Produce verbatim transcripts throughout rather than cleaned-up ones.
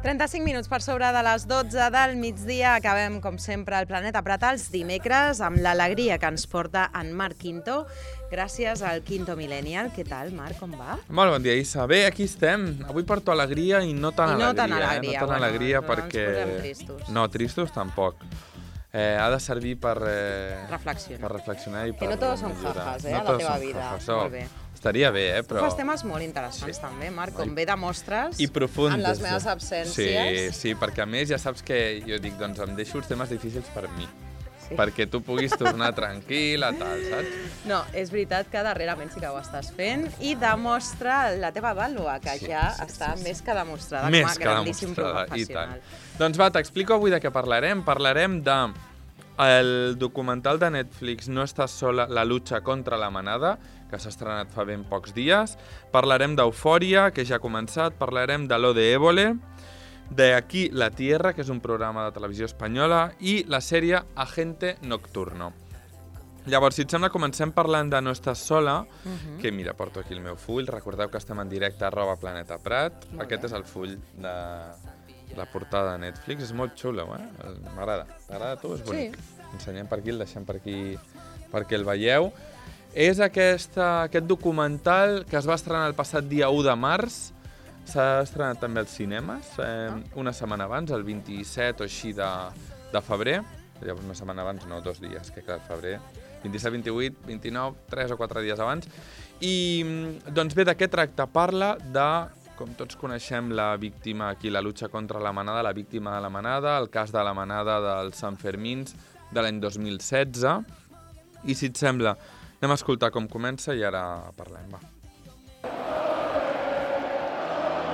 trenta-cinc minuts per sobre de les dotze del migdia. Acabem, com sempre, el Planeta Prat els dimecres amb l'alegria que ens porta en Marc Quinto. Gràcies al Quinto Millennial. Què tal, Marc, com va? Molt bon dia, Issa. Bé, aquí estem. Avui porto alegria i no tan I no alegria. tan alegria. Eh? No tan bueno, alegria no perquè... ens posem tristos. No, tristos tampoc. Eh, ha de servir per... Eh... Reflexionar. Per reflexionar i per... Que no tots són jajas, eh, no a la teva són vida. jajas. Molt bé. Estaria bé, eh, però... Tu fas temes molt interessants, sí. també, Marc, com bé demostres I profunds, en les meves absències. Sí, sí, perquè a més ja saps que jo dic, doncs em deixo els temes difícils per mi. Sí. Perquè tu puguis tornar tranquil·la, tal, saps? No, és veritat que darrerament sí que ho estàs fent i demostra la teva vàlua, que sí, ja sí, està sí, sí. més que demostrada més com a grandíssim professional. Doncs va, t'explico avui de què parlarem. Parlarem de el documental de Netflix No estàs sola, la lucha contra la manada, que s'ha estrenat fa ben pocs dies. Parlarem d'Eufòria, que ja ha començat. Parlarem de Lo de Évole, de Aquí la Tierra, que és un programa de televisió espanyola, i la sèrie Agente Nocturno. Llavors, si et sembla, comencem parlant de No estàs sola, uh-huh. que mira, porto aquí el meu full. Recordeu que estem en directe arroba Planeta Prat. Molt Aquest bé. És el full de la portada de Netflix. És molt xulo, eh? M'agrada. T'agrada a tu? És bonic. Sí. Ensenyem per aquí, el deixem per aquí perquè el veieu. És aquesta, aquest documental que es va estrenar el passat dia u de març. S'ha estrenat també als cinemes, eh, una setmana abans, el vint-i-set o així de, de febrer. Llavors, una setmana abans, no, dos dies, que clar, febrer. vint-i-set, vint-i-vuit, vint-i-nou, tres o quatre dies abans. I, doncs bé, de què tracta? Parla de, com tots coneixem, la víctima aquí, la lucha contra la manada, la víctima de la manada, el cas de la manada dels Sanfermins de l'any dos mil setze. I si et sembla, anem a escoltar com comença i ara parlem, va.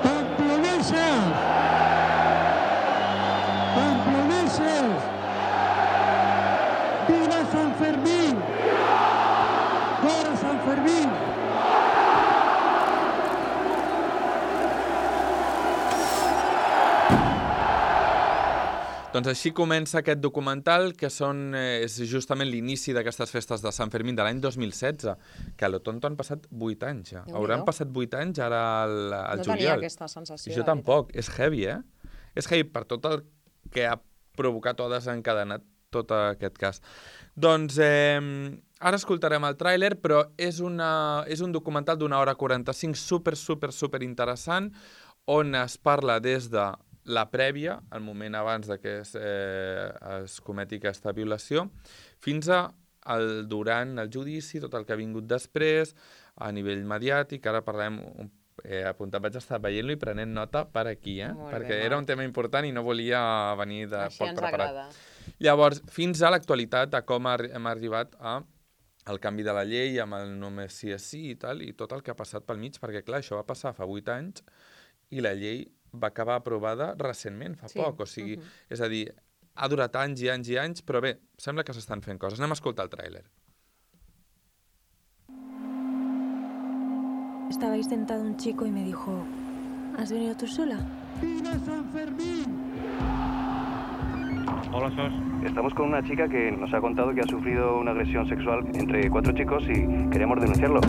Pamploneses! Pamploneses! Viva San Fermín! Fora San Fermín! Doncs així comença aquest documental, que són, eh, és justament l'inici d'aquestes festes de Sant Fermín de l'any dos mil setze, que a lo tonto han passat vuit anys ja. Hauran passat vuit anys ara al, al no juliol. No tenia aquesta sensació. Jo tampoc. És heavy, eh? És heavy per tot el que ha provocat o desencadenat tot aquest cas. Doncs eh, ara escoltarem el tràiler, però és, una, és un documental d'una hora quaranta-cinc super, super, super interessant, on es parla des de la prèvia, el moment abans de que es, eh, es cometi aquesta violació, fins a el durant el judici, tot el que ha vingut després, a nivell mediàtic. Ara parlem, eh, apuntat, vaig estar veient-lo i prenent nota per aquí, eh? Molt perquè bé, era un tema important i no volia venir de Així poc ens preparat. agrada. Llavors, fins a l'actualitat, a com hem arribat a el canvi de la llei, amb el només sí és sí i tal, i tot el que ha passat pel mig, perquè clar, això va passar fa vuit anys i la llei va acabar aprovada recentment, fa sí. poc, o sigui, uh-huh. és a dir, ha durat anys i anys i anys, però bé, sembla que s'estan fent coses. Anem a escoltar el tràiler. Estabais sentado un chico y me dijo, ¿has venido tú sola? ¡Viva San Fermín! Hola, Sos. Estamos con una chica que nos ha contado que ha sufrido una agresión sexual entre cuatro chicos y queremos denunciarlo.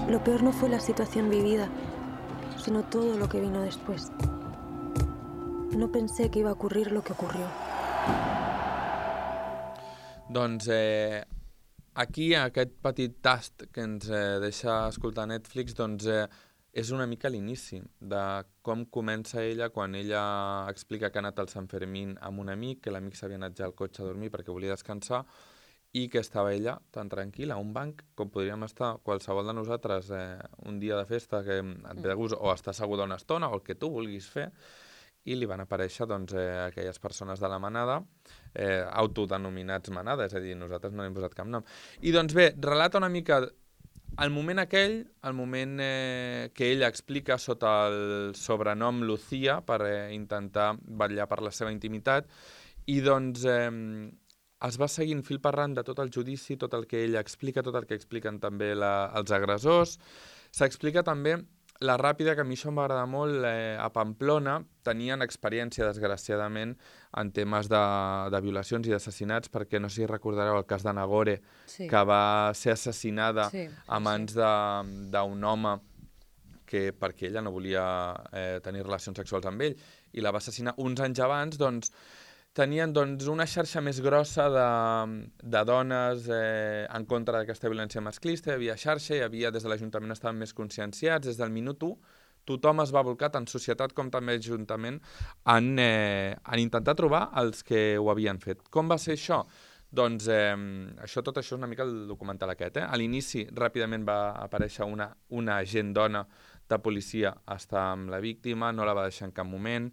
Lo peor no fue la situación vivida, sino todo lo que vino después. No pensé que iba a ocurrir lo que ocurrió. Doncs eh, aquí, aquest petit tast que ens eh, deixa escoltar Netflix, doncs eh, és una mica l'inici de com comença ella quan ella explica que ha anat al Sant Fermín amb un amic, que l'amic s'havia anat ja al cotxe a dormir perquè volia descansar, i que estava ella tan tranquil·la a un banc com podríem estar qualsevol de nosaltres eh, un dia de festa que et ve de gust o estar asseguda una estona o el que tu vulguis fer, i li van aparèixer doncs, eh, aquelles persones de la manada, eh, autodenominats manada, és a dir, nosaltres no hem posat cap nom. I doncs bé, relata una mica el moment aquell, el moment eh, que ella explica sota el sobrenom Lucía per eh, intentar vetllar per la seva intimitat, i doncs eh, es va seguint fil per randa tot el judici, tot el que ella explica, tot el que expliquen també la, els agressors. S'explica també la ràpida, que a mi això em va agradar molt, eh, a Pamplona tenien experiència, desgraciadament, en temes de, de violacions i d'assassinats, perquè no sé si recordareu el cas de Nagore, sí. que va ser assassinada sí, sí, a mans sí. d'un home que perquè ella no volia eh, tenir relacions sexuals amb ell i la va assassinar uns anys abans, doncs tenien doncs, una xarxa més grossa de, de dones eh, en contra d'aquesta violència masclista, hi havia xarxa, hi havia, des de l'Ajuntament estaven més conscienciats, des del minut u, tothom es va volcar, tant societat com també Ajuntament, en, eh, en intentar trobar els que ho havien fet. Com va ser això? Doncs eh, això, tot això és una mica el documental aquest. Eh? A l'inici, ràpidament va aparèixer una, una agent dona de policia a estar amb la víctima, no la va deixar en cap moment,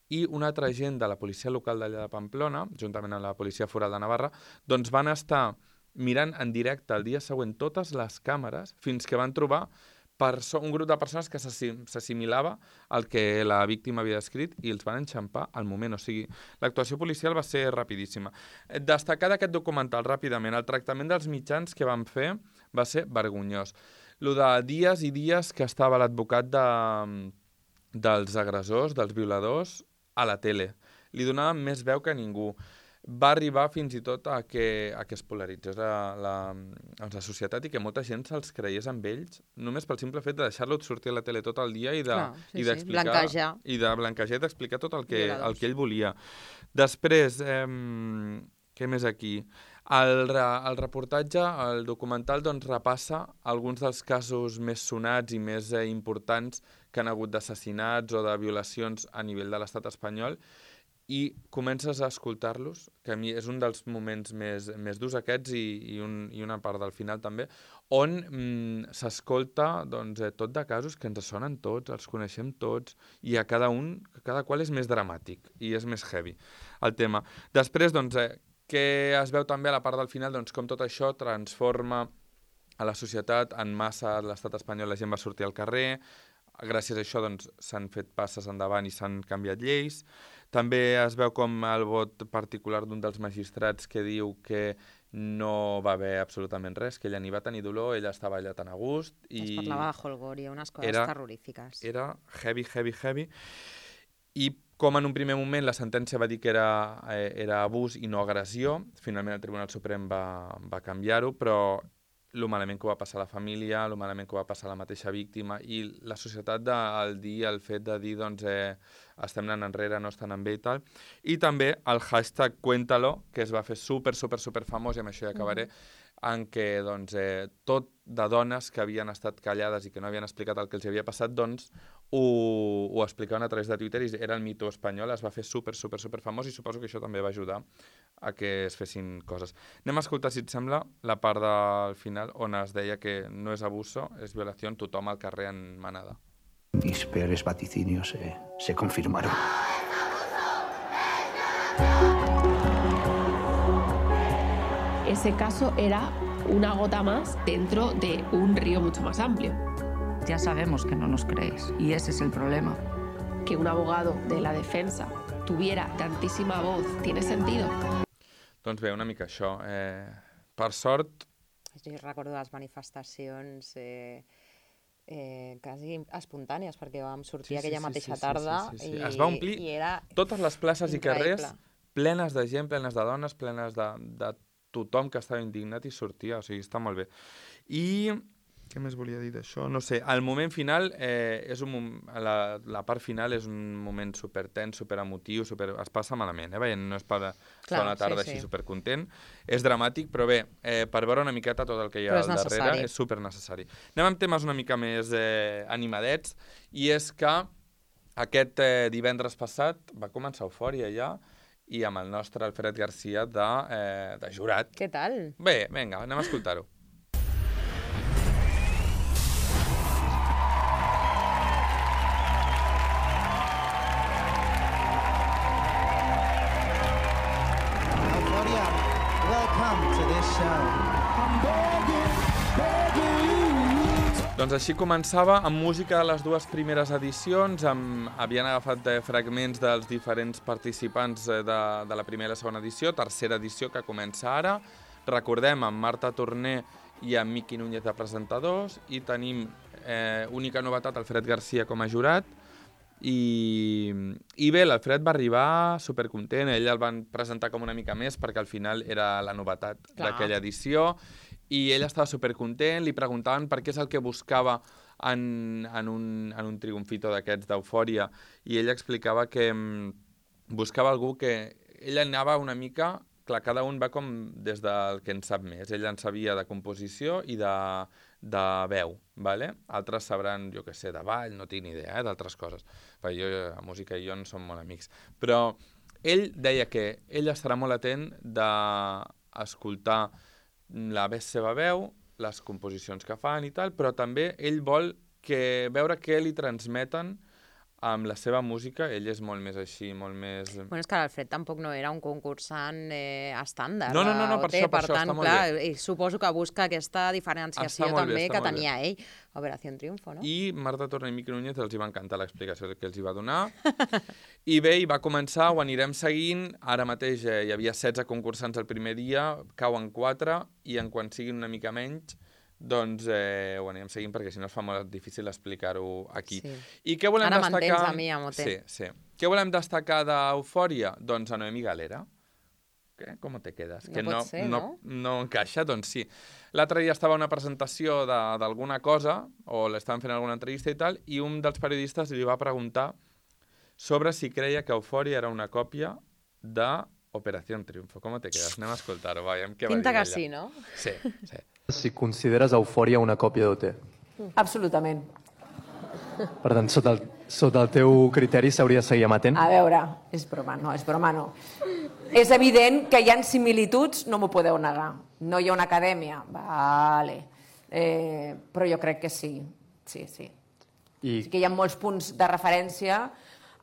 i un altre agent de la policia local d'allà de Pamplona, juntament amb la policia foral de Navarra, doncs van estar mirant en directe el dia següent totes les càmeres fins que van trobar un grup de persones que s'assimilava al que la víctima havia descrit i els van enxampar al moment. O sigui, l'actuació policial va ser rapidíssima. Destacar d'aquest documental ràpidament, el tractament dels mitjans que van fer va ser vergonyós. Lo de dies i dies que estava l'advocat de, dels agressors, dels violadors, a la tele. Li donaven més veu que ningú. Va arribar fins i tot a que, a que es polaritzés la, la, la societat i que molta gent se'ls creiés amb ells, només pel simple fet de deixar-lo sortir a la tele tot el dia i de, Clar, sí, i d'explicar, sí. Blanquejar. i de blanquejar i d'explicar tot el que, el que ell volia. Després, eh, què més aquí? El, el reportatge, el documental, doncs, repassa alguns dels casos més sonats i més eh, importants que han hagut d'assassinats o de violacions a nivell de l'estat espanyol i comences a escoltar-los, que a mi és un dels moments més, més durs aquests i, i, un, i una part del final també, on mm, s'escolta doncs, eh, tot de casos que ens sonen tots, els coneixem tots, i a cada un, cada qual és més dramàtic i és més heavy el tema. Després, doncs, eh, que es veu també a la part del final, doncs, com tot això transforma a la societat en massa, a l'estat espanyol la gent va sortir al carrer, gràcies a això doncs, s'han fet passes endavant i s'han canviat lleis. També es veu com el vot particular d'un dels magistrats que diu que no va haver absolutament res, que ella ni va tenir dolor, ella estava allà tan a gust. I es parlava de Holgoria, unes coses era, terrorífiques. Era heavy, heavy, heavy. I com en un primer moment la sentència va dir que era, eh, era abús i no agressió, finalment el Tribunal Suprem va, va canviar-ho, però el malament que va passar a la família, el malament que va passar a la mateixa víctima i la societat de, el dir, el fet de dir doncs, eh, estem anant enrere, no estan amb bé i tal. I també el hashtag Cuéntalo, que es va fer super, super, super famós, i amb això ja acabaré, mm. en què doncs, eh, tot de dones que havien estat callades i que no havien explicat el que els havia passat, doncs ho, ho explicaven a través de Twitter i era el mito espanyol, es va fer super, super, super famós i suposo que això també va ajudar a que es fessin coses. Anem a escoltar, si et sembla, la part del final on es deia que no és abuso, és violació, tothom al carrer en manada. Mis peores vaticinios se, se confirmaron. Ese caso era una gota más dentro de un río mucho más amplio. Ya sabemos que no nos creéis, y ese es el problema. Que un abogado de la defensa tuviera tantísima voz, ¿tiene sentido? Doncs bé, una mica això. Eh, per sort... Jo recordo les manifestacions eh, eh, quasi espontànies, perquè vam sortir sí, aquella sí, mateixa sí, sí, tarda sí, sí, sí. i, es va omplir i era totes les places increïble. I carrers plenes de gent, plenes de dones, plenes de, de tothom que estava indignat i sortia, o sigui, està molt bé. I què més volia dir d'això? No sé, el moment final, eh, és un, la, la part final és un moment supertens, superemotiu, super, es passa malament, eh? Veient, no és per estar una tarda sí, sí. així supercontent, és dramàtic, però bé, eh, per veure una miqueta tot el que hi ha al darrere, és supernecessari. Anem amb temes una mica més eh, animadets, i és que aquest eh, divendres passat va començar Eufòria ja, i amb el nostre Alfred Garcia de, eh, de jurat. Què tal? Bé, vinga, anem a escoltar-ho. Euphoria, welcome to this show. I'm begging, begging you. Doncs així començava amb música de les dues primeres edicions, amb, havien agafat eh, fragments dels diferents participants eh, de, de la primera i la segona edició, tercera edició que comença ara. Recordem, amb Marta Torner i amb Miqui Núñez de presentadors, i tenim eh, única novetat, Alfred Garcia com a jurat, i, i bé, l'Alfred va arribar supercontent, ell el van presentar com una mica més perquè al final era la novetat d'aquella edició, i ell estava supercontent, li preguntaven per què és el que buscava en, en, un, en un triomfito d'aquests d'Eufòria, i ell explicava que mm, buscava algú que... Ell anava una mica... Clar, cada un va com des del que en sap més. Ell en sabia de composició i de, de veu, ¿vale? Altres sabran, jo què sé, de ball, no tinc ni idea, eh, d'altres coses. Perquè jo, la música i jo no som molt amics. Però ell deia que ell estarà molt atent d'escoltar la seva veu, les composicions que fan i tal, però també ell vol que, veure què li transmeten amb la seva música. Ell és molt més així, molt més... Bueno, és que l'Alfred tampoc no era un concursant eh, estàndard. No, no, no, no per això, per per això tant, està molt clar, bé. I suposo que busca aquesta diferenciació Està molt també bé, està que molt tenia ell. Operació Triunfo, no? I Marta Torner i Miqui Núñez els hi va encantar l'explicació que els hi va donar. I bé, hi va començar, ho anirem seguint. Ara mateix eh, hi havia setze concursants el primer dia, cauen quatre, i en quan siguin una mica menys, doncs eh, ho anirem seguint, perquè si no es fa molt difícil explicar-ho aquí. Sí. I què volem Ara destacar... m'entens a mi, Amote. Sí, sí. Què volem destacar d'Eufòria? Doncs a Noemí Galera. Què? Com te quedes? No que pot no, ser, no? No, no encaixa? Doncs sí. L'altre dia estava a una presentació d'alguna cosa, o l'estaven fent alguna entrevista i tal, i un dels periodistes li va preguntar sobre si creia que Eufòria era una còpia de Operación Triunfo. Com te quedes? Anem a escoltar-ho, veiem què va dir Pinta que ella. sí, no? Sí, sí. Si consideres Eufòria una còpia d'O T. Absolutament. Per tant, sota el, sota el teu criteri s'hauria de seguir amatent? A veure, és broma, no, és broma, no. És evident que hi ha similituds, no m'ho podeu negar. No hi ha una acadèmia, vale. Eh, però jo crec que sí, sí, sí. I... Sí que hi ha molts punts de referència.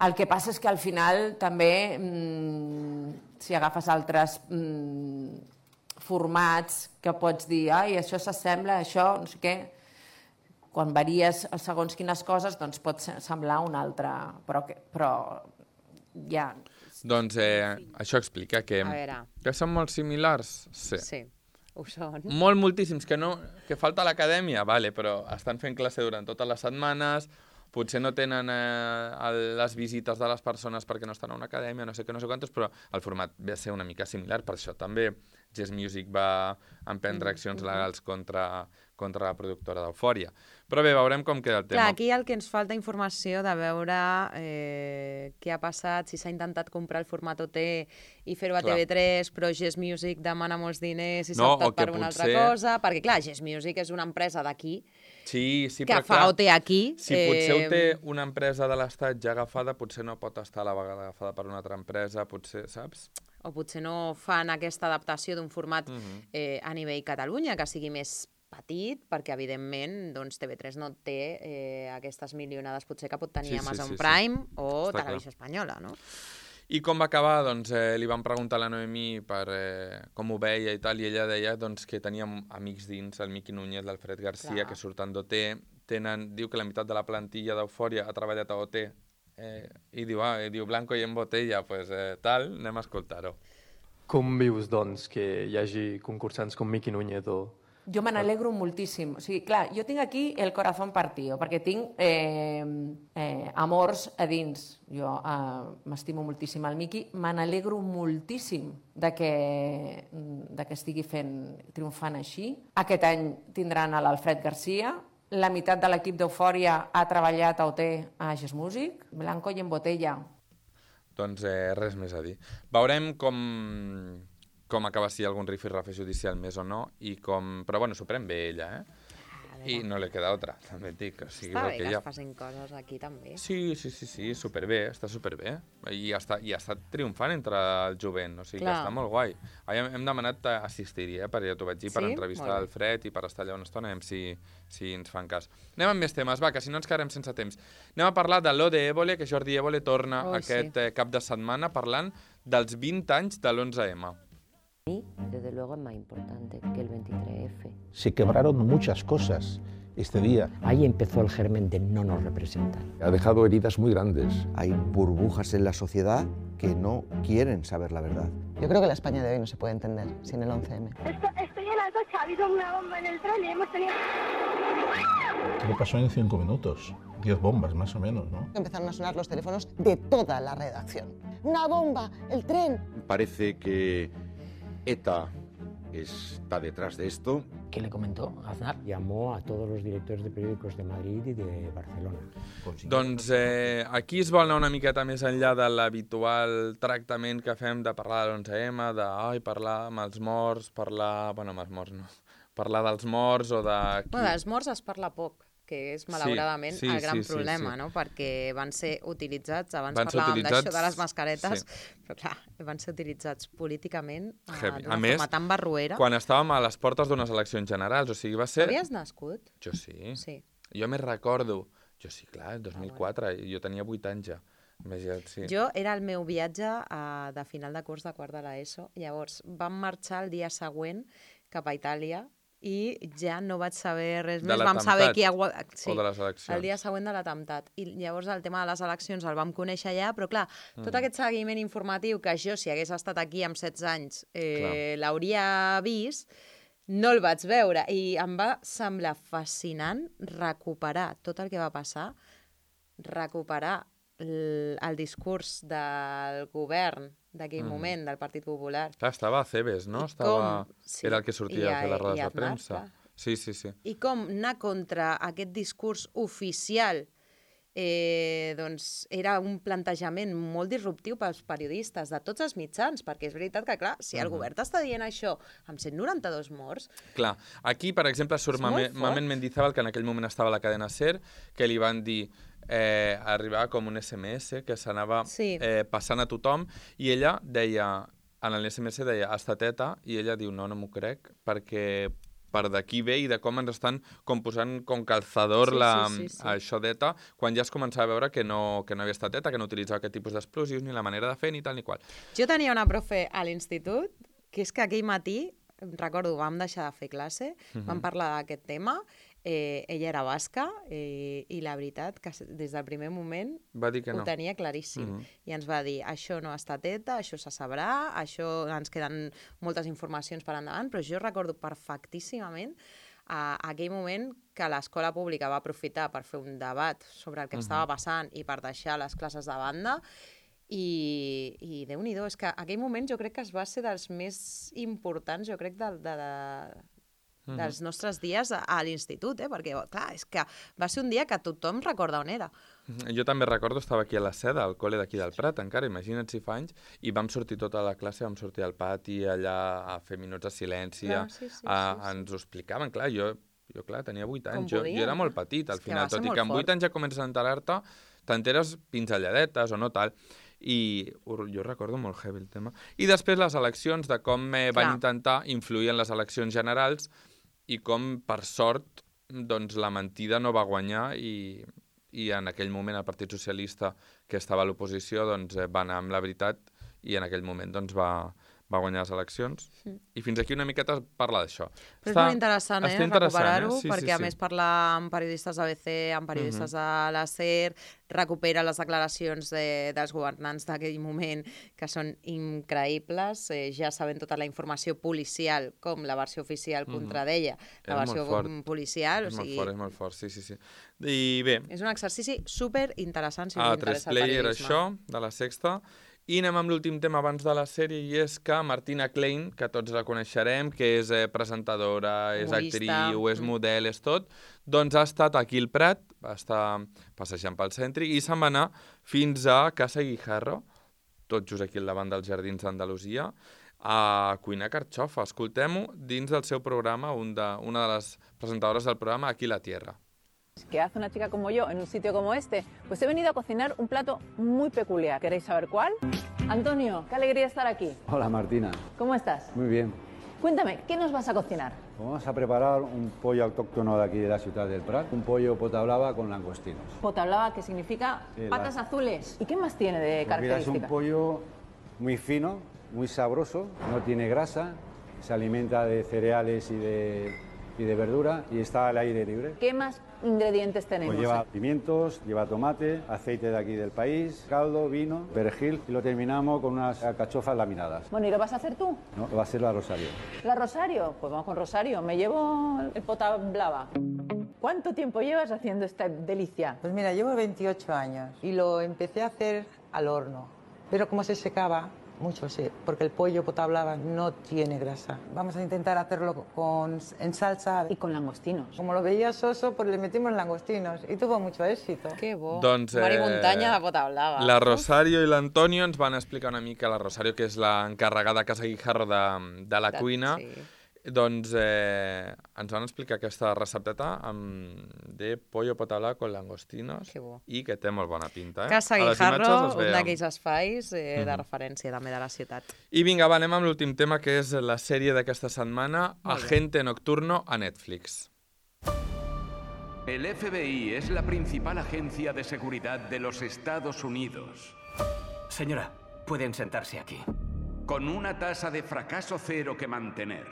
El que passa és que al final també, mmm, si agafes altres mmm, formats que pots dir, ai, això s'assembla, això, no sé què, quan varies segons quines coses, doncs pot semblar una altra, però, que, però ja... Doncs eh, això explica que, que són molt similars. Sí. Sí, ho són. Molt, moltíssims, que, no, que falta l'acadèmia, vale, però estan fent classe durant totes les setmanes, potser no tenen eh, les visites de les persones perquè no estan a una acadèmia, no sé què, no sé quantos, però el format ve a ser una mica similar, per això també Jazz Music va emprendre accions legals contra, contra la productora d'Eufòria. Però bé, veurem com queda el tema. Clar, aquí el que ens falta informació de veure eh, què ha passat, si s'ha intentat comprar el format O T i fer-ho a T V tres, però Jazz Music demana molts diners i s'ha No, o optat que per una potser- altra cosa, perquè clar, Jazz Music és una empresa d'aquí, Sí, sí, que però fa clar, O T aquí. si potser ho eh, té una empresa de l'Estat ja agafada, potser no pot estar a la vegada agafada per una altra empresa, potser, saps? o potser no fan aquesta adaptació d'un format Mhm. eh, a nivell Catalunya, que sigui més petit, perquè evidentment doncs, T V tres no té eh, aquestes milionades potser que pot tenir Sí, sí, Amazon sí, sí. Prime o Està Televisió Espanyola, no? I com va acabar? Doncs eh, li van preguntar a la Noemí per eh, com ho veia i tal, i ella deia doncs, que tenia amics dins, el Miqui Núñez, l'Alfred Garcia, Clar. que surten d'O T, tenen, diu que la meitat de la plantilla d'Eufòria ha treballat a O T, eh, i diu, ah, i diu blanco i en botella, pues eh, tal, anem a escoltar-ho. Com vius, doncs, que hi hagi concursants com Miqui Núñez o... Jo me n'alegro moltíssim. O sigui, clar, jo tinc aquí el corazón partido, perquè tinc eh, eh, amors a dins. Jo eh, m'estimo moltíssim el Miqui. Me n'alegro moltíssim de que, de que estigui fent, triomfant així. Aquest any tindran a l'Alfred Garcia. La meitat de l'equip d'Eufòria ha treballat a O T a Jazz Music. Blanco i en botella. Doncs eh, res més a dir. Veurem com, com acaba, si hi ha algun rifirrafe judicial més o no, i com... però bueno, s'ho pren bé ella, eh? I no li queda otra, també et dic. O sigui, Està és el bé que que hi ha. es facin coses aquí també. Sí, sí, sí, sí, superbé, està superbé. I està, i està triomfant entre el jovent, o sigui Clar. que està molt guai. Ahir hem, hem demanat assistir-hi, eh, perquè ja t'ho vaig dir, per Sí? entrevistar Molt bé. l'Alfred i per estar allà una estona, anem si, si ens fan cas. Anem amb més temes, va, que si no ens quedarem sense temps. Anem a parlar de l'O de Évole, que Jordi Évole torna Oh, aquest sí. eh, cap de setmana parlant dels vint anys de l'onze eme. mí, desde luego, es más importante que el veintitrés efe. Se quebraron muchas cosas este día. Ahí empezó el germen de no nos representan. Ha dejado heridas muy grandes. Hay burbujas en la sociedad que no quieren saber la verdad. Yo creo que la España de hoy no se puede entender sin el once eme. Esto, estoy en el coche, ha habido una bomba en el tren y hemos tenido... Todo pasó en cinco minutos, diez bombas más o menos, ¿no? Empezaron a sonar los teléfonos de toda la redacción. ¡Una bomba! ¡El tren! Parece que ETA está detrás de esto. ¿Qué le comentó a Aznar? Llamó a todos los directores de periódicos de Madrid y de Barcelona. Doncs eh, aquí es vol anar una miqueta més enllà de l'habitual tractament que fem de parlar de l'onze eme, de ai, parlar amb els morts, parlar... Bueno, amb els morts no. Parlar dels morts o de... Bueno, dels morts es parla poc, que és malauradament sí, sí, el gran sí, sí, problema, sí. no? Perquè van ser utilitzats, abans Van ser parlàvem utilitzats, d'això de les mascaretes, sí. però clar, van ser utilitzats políticament uh, Heavy. d'una A més, forma tan barruera. quan estàvem a les portes d'unes eleccions generals, o sigui, va ser... Havies nascut? Jo sí. Sí. Jo més recordo... Jo sí, clar, el dos mil quatre, ah, jo tenia vuit anys ja. Imagina't, sí. Jo era el meu viatge uh, de final de curs de quart de l'ESO, llavors vam marxar el dia següent cap a Itàlia i ja no vaig saber res més. Vam saber qui... Sí, o de les eleccions? El dia següent de l'atemptat. I llavors el tema de les eleccions el vam conèixer allà, però clar, tot mm. aquest seguiment informatiu que jo, si hagués estat aquí amb setze anys, eh, l'hauria vist, no el vaig veure. I em va semblar fascinant recuperar tot el que va passar, recuperar el, el discurs del govern d'aquell mm. moment, del Partit Popular. Clar, estava a Cebes, no? Estava... Sí. Era el que sortia a fer les rodes de premsa. Sí, sí, sí. I com anar contra aquest discurs oficial eh, doncs era un plantejament molt disruptiu pels periodistes de tots els mitjans, perquè és veritat que, clar, si el Uh-huh. govern t'està dient això amb cent noranta-dos morts... Clar, aquí, per exemple, surt Mamen, Mamen Mendizábal, que en aquell moment estava a la cadena SER, que li van dir... Eh, arribava com un esse eme esse que s'anava sí. eh, passant a tothom i ella deia, en l'esse eme esse deia estateta, i ella diu no, no m'ho crec, perquè per d'aquí ve i de com ens estan com posant com calzador sí, la, sí, sí, sí. això d'ETA, quan ja es començava a veure que no, que no havia estat ETA, que no utilitzava aquest tipus d'explosius, ni la manera de fer, ni tal ni qual. Jo tenia una profe a l'institut, que és que aquell matí, recordo, vam deixar de fer classe, uh-huh. vam parlar d'aquest tema. Eh, ella era basca eh, i la veritat que des del primer moment va dir que no. Ho tenia claríssim. Mm-hmm. I ens va dir, això no ha estat ETA, això se sabrà, això ens queden moltes informacions per endavant, però jo recordo perfectíssimament a aquell moment que l'escola pública va aprofitar per fer un debat sobre el que mm-hmm. estava passant i per deixar les classes de banda. I, i Déu-n'hi-do, és que aquell moment jo crec que es va ser dels més importants, jo crec, de, de, de, mm-hmm. dels nostres dies a, a l'institut, eh? Perquè, clar, és que va ser un dia que tothom recorda on era. Jo també recordo, estava aquí a la Seda, al col·le d'aquí del Prat, encara, imagina't si fa anys, i vam sortir tota la classe, vam sortir al pati, allà a fer minuts de silenci, clar, sí, sí, a, sí, sí. ens ho explicaven, clar, jo, jo clar, tenia vuit anys, jo, jo era molt petit, al final, tot i que amb vuit anys ja comences a enterar-te, t'enteres pinzelladetes o no tal, i jo recordo molt heavy el tema. I després les eleccions, de com eh, van Clar. intentar influir en les eleccions generals i com, per sort, doncs, la mentida no va guanyar i, i en aquell moment el Partit Socialista, que estava a l'oposició, doncs, eh, va anar amb la veritat i en aquell moment doncs, va, va guanyar les eleccions. Mm. I fins aquí una miqueta parla d'això. Però és molt interessant, eh, recuperar-ho, eh? Sí, perquè sí, a sí. més parlar amb periodistes d'A B C, amb periodistes mm-hmm. de la SER, recupera les declaracions de, dels governants d'aquell moment, que són increïbles, eh, ja sabent tota la informació policial, com la versió oficial contra mm-hmm. d'ella, la és versió policial. És o sigui... molt fort, és molt fort, sí, sí, sí. I bé... És un exercici super interessant si us ah, interessa el Player, periodisme. això, de la Sexta. I anem amb l'últim tema abans de la sèrie, i és que Martina Klein, que tots la coneixerem, que és eh, presentadora, és Humorista. actriu, és model, és tot, doncs ha estat aquí al Prat, va estar passejant pel centre, i se'n va anar fins a Casa Guijarro, tot just aquí al davant dels Jardins d'Andalusia, a cuinar carxofa. Escoltem-ho dins del seu programa, un de, una de les presentadores del programa, Aquí la Tierra. ¿Qué hace una chica como yo en un sitio como este? Pues he venido a cocinar un plato muy peculiar. ¿Queréis saber cuál? Antonio, qué alegría estar aquí. Hola Martina. ¿Cómo estás? Muy bien. Cuéntame, ¿qué nos vas a cocinar? Vamos a preparar un pollo autóctono de aquí de la ciudad del Prat, un pollo pota blava con langostinos. Pota blava, que significa Sí, patas la... azules. ¿Y qué más tiene de pues mira, característica? es un pollo muy fino, muy sabroso, no tiene grasa, se alimenta de cereales y de, y de verdura y está al aire libre. ¿Qué más ingredientes tenemos? Pues lleva pimientos, lleva tomate, aceite de aquí del país, caldo, vino, perejil y lo terminamos con unas alcachofas laminadas. Bueno, ¿y lo vas a hacer tú? No, va a ser la Rosario. ¿La Rosario? Pues vamos con Rosario. Me llevo el pota blava. ¿Cuánto tiempo llevas haciendo esta delicia? Pues mira, llevo veintiocho años y lo empecé a hacer al horno. Pero como se secaba, mucho, sí, porque el pollo potablava no tiene grasa. Vamos a intentar hacerlo con, en salsa. Y con langostinos. Como lo veía soso, pues le metimos langostinos y tuvo mucho éxito. Que bo. Doncs, Mar i eh, muntanya de Pota Blava. La Rosario i l'Antonio ens van explicar una mica, la Rosario, que és l'encarregada a Casa Guijarro de, de la De- cuina, sí. doncs eh, ens van explicar aquesta recepteta amb, de pollo potablava con langostinos Que bo. i que té molt bona pinta. Eh? Casa A les Guijarro, imatges es un veia. d'aquells espais eh, de Mhm. referència també de la ciutat. I vinga, va, anem amb l'últim tema, que és la sèrie d'aquesta setmana, Molt bé. Agente Nocturno, a Netflix. El F B I es la principal agencia de seguridad de los Estados Unidos. Señora, pueden sentarse aquí. Con una tasa de fracaso cero que mantener.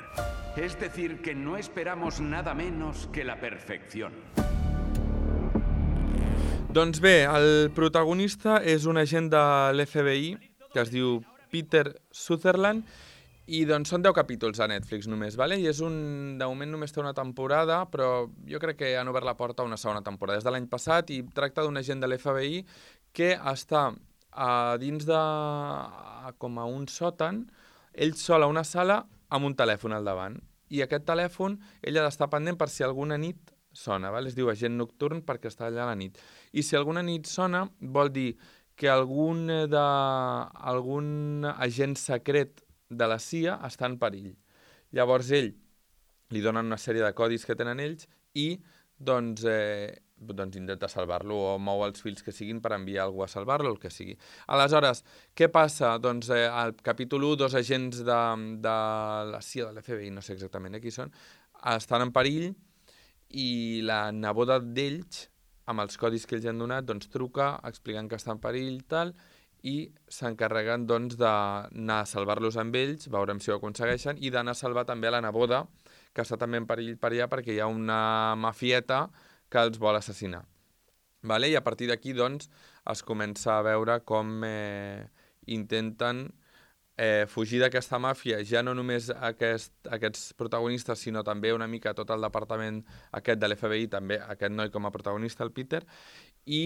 Es decir, que no esperamos nada menos que la perfección. Doncs bé, el protagonista és un agent de l'F B I que es diu Peter Sutherland i doncs són deu capítols a Netflix només, vale? I és un... de moment només té una temporada, però jo crec que han obert la porta a una segona temporada. És de l'any passat i tracta d'un agent de l'F B I que està a dins de... a, com a un sòtan, ell sol a una sala amb un telèfon al davant. I aquest telèfon ell ha d'estar pendent per si alguna nit sona, val? Es diu agent nocturn perquè està allà a la nit. I si alguna nit sona, vol dir que algun, de, algun agent secret de la C I A està en perill. Llavors ell li donen una sèrie de codis que tenen ells i doncs, eh, doncs intenta salvar-lo o mou els fils que siguin per enviar algú a salvar-lo, el que sigui. Aleshores, què passa? Doncs eh, al capítol u, dos agents de, de la C I A, de l'F B I, no sé exactament eh, qui són, estan en perill i la neboda d'ells, amb els codis que ells han donat, doncs truca explicant que està en perill i tal, i s'encarreguen doncs, d'anar a salvar-los amb ells, veurem si ho aconsegueixen, i d'anar a salvar també a la neboda, que està també en perill per allà perquè hi ha una mafieta que els vol assassinar. Vale? I a partir d'aquí doncs, es comença a veure com eh, intenten eh, fugir d'aquesta màfia, ja no només aquest, aquests protagonistes, sinó també una mica tot el departament aquest de l'F B I, també aquest noi com a protagonista, el Peter, i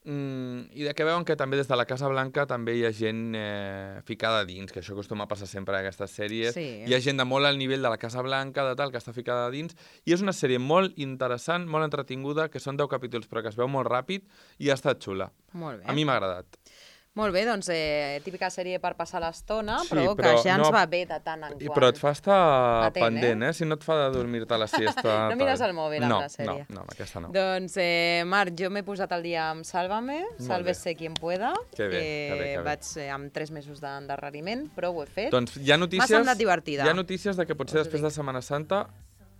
Mm, i de que veuen que també des de la Casa Blanca també hi ha gent eh, ficada dins, que això acostuma a passar sempre en aquestes sèries. Sí. Hi ha gent de molt al nivell de la Casa Blanca, de tal, que està ficada dins, i és una sèrie molt interessant, molt entretinguda, que són deu capítols però que es veu molt ràpid i ha estat xula. Molt bé. A mi m'ha agradat. Molt bé, doncs eh, típica sèrie per passar l'estona, Sí, però, però que ja ens no- va bé de tant en I, quant. però et fa estar Atent, pendent, eh? Si no et fa de dormir-te la siesta... No mires tal. el mòbil amb no, la sèrie. No, no, amb aquesta no. Doncs, eh, Marc, jo m'he posat al dia amb Sálvame, Molt Sálvese quien pueda. Que bé, que bé, que bé. Vaig eh, amb tres mesos d'endarreriment, però ho he fet. Doncs hi ha notícies... M'ha semblat divertida. Hi ha notícies de que potser Us ho després dic. de Setmana Santa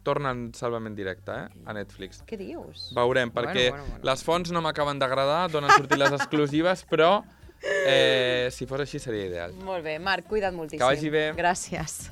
tornen Sálvame en directe, eh? A Netflix. Què dius? Veurem, perquè Bueno, bueno, bueno. les fonts no m'acaben d'agradar, donen sortir les exclusives, però eh, si fos així seria ideal. Molt bé, Marc, cuida't moltíssim. Que vagi bé. Gràcies.